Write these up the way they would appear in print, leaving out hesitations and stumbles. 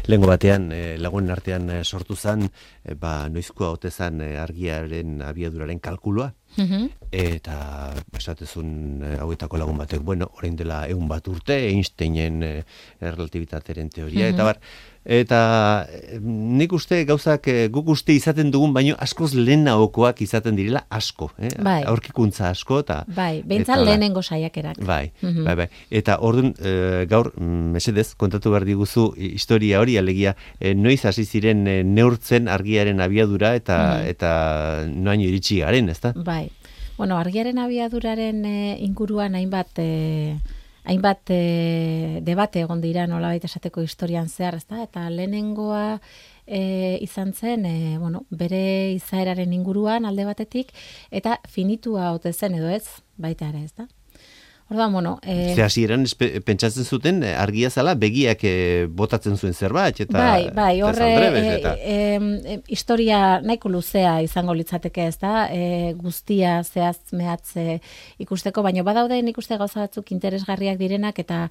lehengo batean lagunen artean sortu zen, noizkoa ote zen argiaren abiaduraren kalkulua. Eta esatezun hauetako lagun batek, orain dela 100 bat urte, Einsteinen relatibitateren teoria, eta nik uste gauzak guk uste izaten dugun, baino askoz lehenagokoak izaten direla asko, aurkikuntza asko. Bai, behintzat lehenengo saiakerak. Bai. Eta orduan, gaur, mesedez, kontatu behar diguzu historia hori, alegia, noiz hasi ziren neurtzen argiaren abiadura eta noaino iritsi garen, ezta? Bai. Argiaren abiaduraren inguruan hainbat debate egon dira nolabait esateko historian zehar, ezta? Eta lehenengoa izan zen, bere izaeraren inguruan alde batetik, eta finitua ote zen edo ez, baita ere, ezta? Orduan, hasieran pentsatzen zuten argia zala begiak botatzen zuen zerbait, eta bai, horre historia nahiko luzea izango litzateke, ez da, guztia zehaz mehatze ikusteko, baina badaude nik uste gauza batzuk interesgarriak direnak, eta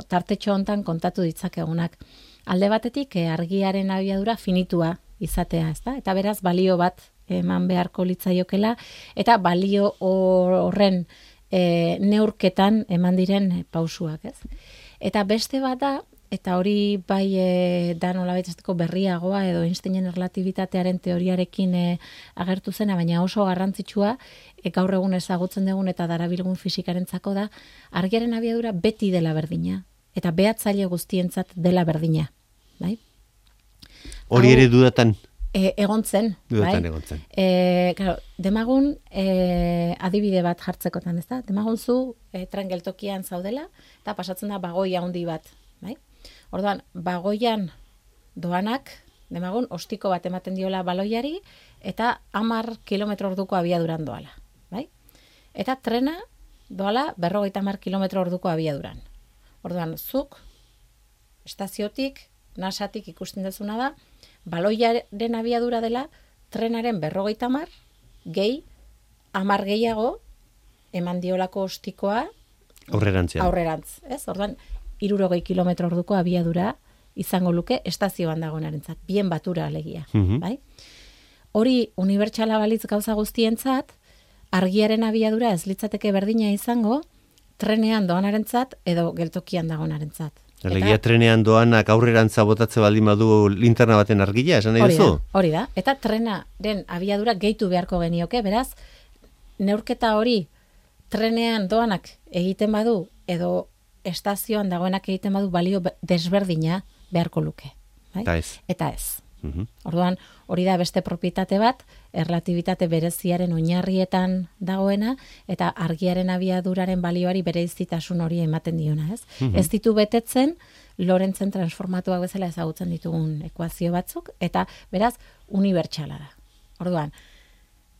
tartetxo hontan kontatu ditzakegunak. Alde batetik, argiaren abiadura finitua izatea, ez da, eta beraz balio bat eman beharko litzaiokela, eta balio horren neurketan eman diren pausuak, ez? Eta beste bat da, eta hori bai da nolabait esateko berriagoa edo Einsteinen erlatibitatearen teoriarekin agertu zena, baina oso garrantzitsua, gaur egun ezagutzen dugun eta darabilgun fisikarentzako da, argiaren abiadura beti dela berdina, eta behatzaile guztientzat dela berdina, bai? Hori ere dudatan? Egon zen, bai? Claro, demagun adibide bat jartzekotan, ez da? Demagun zu tren geltokian zaudela, eta pasatzen da bagoi handi bat, bai? Orduan, bagoian doanak, demagun, ostiko bat ematen diola baloiari, eta 10 kilometro orduko abiaduran doala, bai? Eta trena doala 50 kilometro orduko abiaduran. Orduan, zuk, estaziotik, nasatik ikusten dezuna da, baloiaren abiadura dela trenaren 50 gehi 10 gehiago eman diolako ostikoa aurrerantz, ez? Orduan 60 kilometro orduko abiadura izango luke estazioan dagoenarentzat, bien batura alegia, bai? Hori unibertsala balitz gauza guztientzat, argiaren abiadura ez litzateke berdina izango trenean doanarentzat edo geltokian dagoenarentzat. Alegia trenean doanak aurrerantza botatze baldin badu linterna baten argia, esan nahi duzu? Hori da. Eta trenaren abiadura gehitu beharko genioke, beraz, neurketa hori trenean doanak egiten badu edo estazioan dagoenak egiten badu balio desberdina beharko luke. Bai? Eta ez. Orduan, hori da beste propietate bat, erlatibitate bereziaren oinarrietan dagoena, eta argiaren abiaduraren balioari bereizitasun hori ematen diona, ez? Ez ditu betetzen, Lorentzen transformatuak bezala ezagutzen ditugun ekuazio batzuk, eta beraz, unibertsala da. Orduan,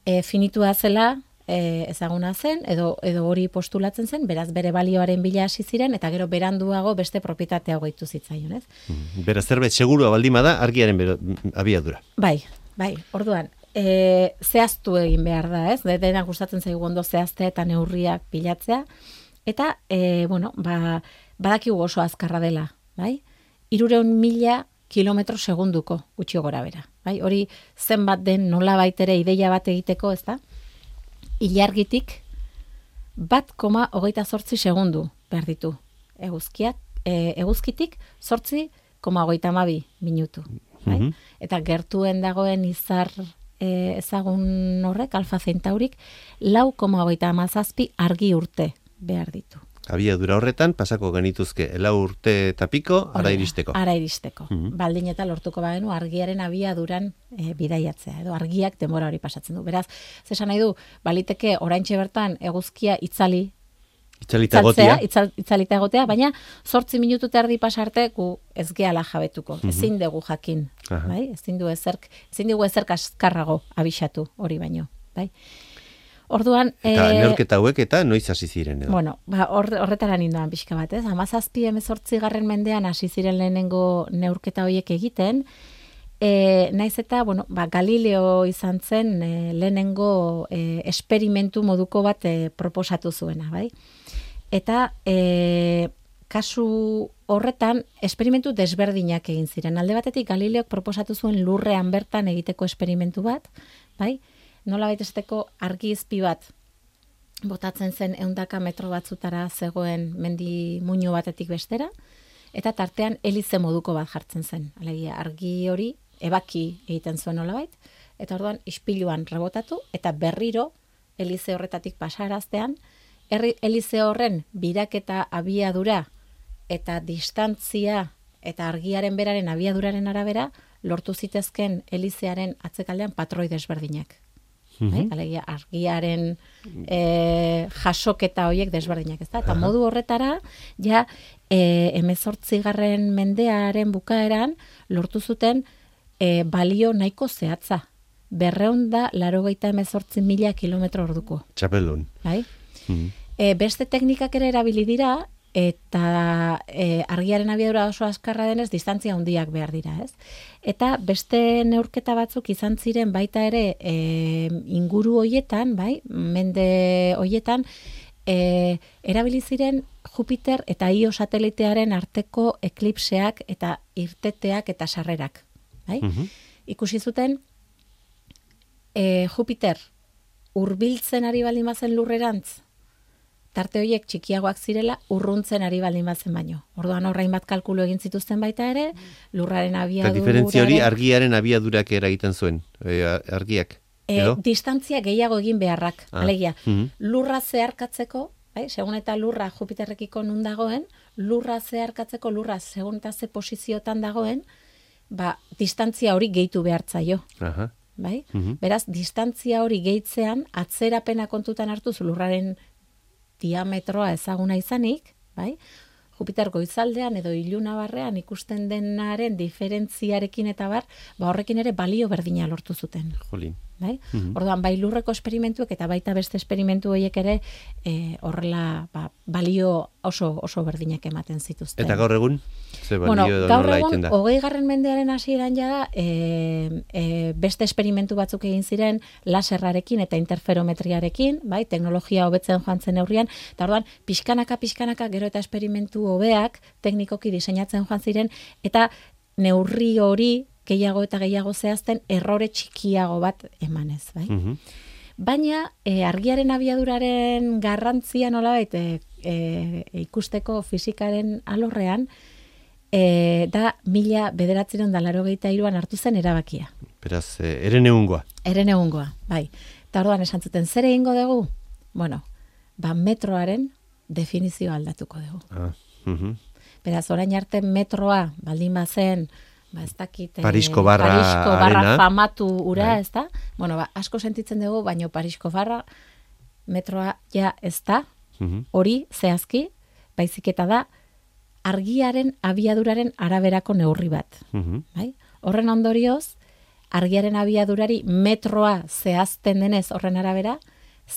finitua zela, ezaguna zen, edo hori postulatzen zen, beraz bere balioaren bila hasi ziren, eta gero beranduago beste propietatea gehitu zitzaion, ez? Beraz zerbait segurua baldin bada argiaren abiadura. Bai, orduan, zehaztu egin behar da, ez? Denak gustatzen zaigu ondo zehaztea eta neurriak bilatzea, eta, badakigu oso azkarra dela, bai? 300.000 kilometro segunduko gutxi gora bera, bai? Hori zenbat den nolabait ere ideia bat egiteko, ez da? Ilargitik 1,28 segundu behar ditu. Eguzkitik 8,32 minutu. Bai? Eta gertuen dagoen izar ezagun horrek, Alfa Centaurik, 4,37 argi urte behar ditu. Abiadura horretan, pasako genituzke 4 urte eta piko, ara iristeko. Ara iristeko. Baldin eta lortuko bagenu argiaren abiaduran bidaiatzea, edo argiak denbora hori pasatzen du. Beraz, zesan nahi du, baliteke oraintxe bertan eguzkia itzalita egotea, baina 8 minutu eta erdi pasarte gu ez gehala jabetuko. Ezin dugu jakin, bai? Ezin dugu ezerk azkarrago abisatu hori baino, bai? Orduan, eta neurketa hauek eta noiz hasi ziren edo? Bueno, horretara nindoan pixka bat, ez? 17-18 mendean hasi ziren lehenengo neurketa horiek egiten, naiz eta, Galileo izan zen lehenengo esperimentu moduko bat proposatu zuena, bai? Eta kasu horretan, esperimentu desberdinak egin ziren. Alde batetik, Galileok proposatu zuen lurrean bertan egiteko esperimentu bat, bai? Nola baitesteko argi izpi bat botatzen zen 100 metro batzutara zegoen mendi muino batetik bestera, eta tartean elize moduko bat jartzen zen. Alegia, argi hori ebaki egiten zuen nolabait, eta orduan ispiluan rebotatu, eta berriro elize horretatik pasaraztean, elize horren biraketa abiadura eta distantzia eta argiaren beraren abiaduraren arabera lortu zitezken elizearen atzekaldean patroi desberdinak. Alegia, argiaren jasoketa horiek desberdinak, ezta? Eta modu horretara, ja, 18. mendearen bukaeran lortu zuten balio nahiko zehatza. 288.000 kilometro orduko. Txapeldun. Bai? Beste teknikak ere erabili dira, eta argiaren abiadura oso azkarra denez, distantzia handiak behar dira, ez? Eta beste neurketa batzuk izan ziren baita ere inguru hoietan, bai, mende hoietan, erabili ziren Jupiter eta Io satelitearen arteko eklipseak eta irteteak eta sarrerak, bai? Ikusi zuten Jupiter hurbiltzen ari baldin bazen lurrerantz, tarte horiek txikiagoak zirela, urruntzen ari baldin bazen baino. Orduan horrein bat kalkulu egin zituzten baita ere, lurraren abiaduraren... Eta diferentzia hori argiaren abiadurak eragiten zuen, argiak? Distantzia gehiago egin beharrak, alegia. Lurra zeharkatzeko, bai, segun eta lurra Jupiterrekiko nun dagoen, lurra zeharkatzeko, lurra segun eta ze posiziotan dagoen, distantzia hori gehitu behartzaio. Bai? Beraz, distantzia hori gehitzean, atzerapena kontutan hartuz lurraren diametroa ezaguna izanik, bai? Jupiter goizaldean edo ilunabarrean ikusten denaren diferentziarekin eta horrekin ere balio berdina lortu zuten. Jolin. Bai? Orduan, bai lurreko esperimentuek eta baita beste esperimentu horiek ere horrela balio oso berdinak ematen zituzten. Eta gaur egun? Gaur egun, 20. mendearen hasieran jada, beste esperimentu batzuk egin ziren laserrarekin eta interferometriarekin, bai, teknologia hobetzen joan zen neurrian, eta orduan, pixkanaka gero eta esperimentu hobeak teknikoki diseinatzen joan ziren, eta neurri hori gehiago eta gehiago zehazten errore txikiago bat emanez, bai? Baina, argiaren abiaduraren garrantzia nolabait ikusteko fisikaren alorrean, da 1983an hartu zen erabakia. Beraz, erenegungoa. Erenegungoa, bai. Eta orduan esan zuten, zer egingo dugu? Bueno, metroaren definizioa aldatuko dugu. Beraz, orain arte metroa, baldin bazen, ez dakit... Parisko barra famatu ura, ez da? Bueno, asko sentitzen dugu, baino Parisko barra metroa ja ez da, hori zehazki, baizik eta da, argiaren abiaduraren araberako neurri bat. Bai? Horren ondorioz, argiaren abiadurari metroa zehazten denez horren arabera,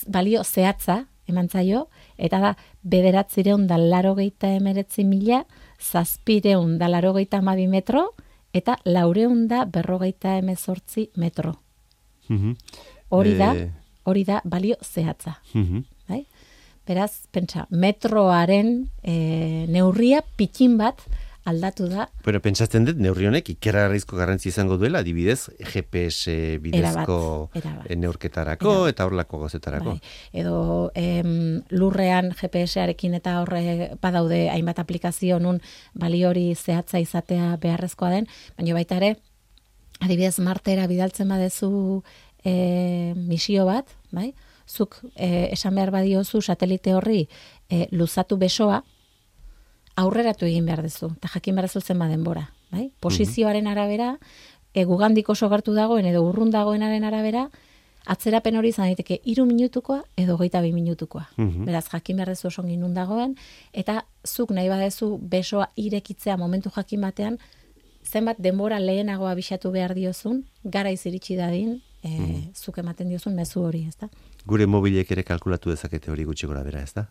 balio zehatza eman zaio, eta da 989.782 metro, eta 458 metro. Hori da balio zehatza. Bai? Beraz, pentsa, metroaren neurria pikin bat aldatu da. Bueno, pentsatzen dut, neurri honek ikergarrizko garrantzi izango duela, adibidez, GPS bidezko neurketarako eta horrelako gozetarako. Bai. Edo lurrean GPS-arekin eta horre badaude hainbat aplikazio nun balio hori zehatza izatea beharrezkoa den, baina baita ere, adibidez, Martera bidaltzen badezu misio bat, bai? Zuk esan behar badiozu satelite horri luzatu besoa, aurreratu egin behar dezu, eta jakin behar dezu zenba denbora. Bai? Posizioaren arabera, gugandik oso gertu dagoen edo urrun dagoenaren arabera, atzerapen hori izan daiteke 3 minutukoa edo 22 minutukoa. Beraz, jakin behar dezu oso nun dagoen, eta zuk nahi badezu besoa irekitzea momentu jakin batean, zenbat denbora lehenago abisatu behar diozun, garaiz iritsi dadin, zuk ematen diozun mezu hori, ezta? Gure mobilek ere kalkulatu dezakete hori gutxi gora bera, ezta?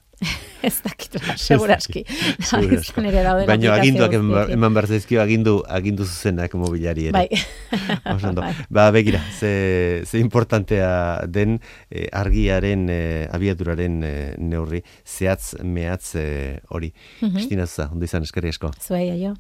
Ez dakit, seguraski. Baina aginduak eman behar zaizkio agindu zuzenak mobilari ere. Ba, begira, ze importantea den argiaren abiaduraren neurri, zehatz mehatz hori. Kristina Zuza, ondo izan, eskerri asko. Zuei, aio.